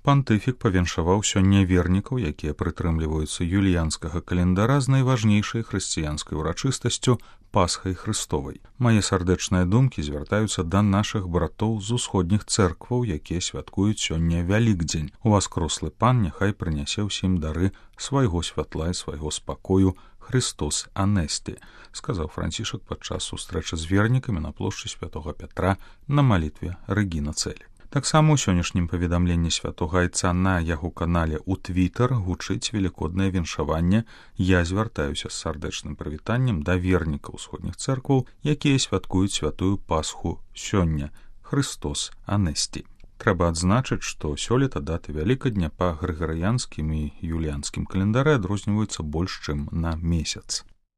пантыфік павіншаваў сёння вернікаў, якія прытрымліваюцца юліянскага календара з найважнейшай хрысціянскай урачыстасцю Пасхай Хрыстовай. Мае сардэчныя думкі звяртаюцца да нашых братоў з усходніх цэркваў, якія святкуюць сёння Вялікдзень. Уваскрослы Пан няхай прынясе ўсім дары свайго святла і свайго спакою Христос Анесті, сказаў Францішак падчас сустрэчы з вернікамі на плошчы святога Пятра на малітве Рэгіна Цэлі. Таксама ў сённяшнім паведамленні святога Айца на яго канале ў Твітер гучыць велікоднае віншаванне. Я звяртаюся з сардэчным прывітаннем да вернікаў усходніх цэркваў, якія святкуюць святую Пасху сёння. Христос Анесті. Трэба адзначыць, што сёлета даты Вялікадня па грыгарыянскім і юліянскім календары адрозніваюцца больш чым на месяц.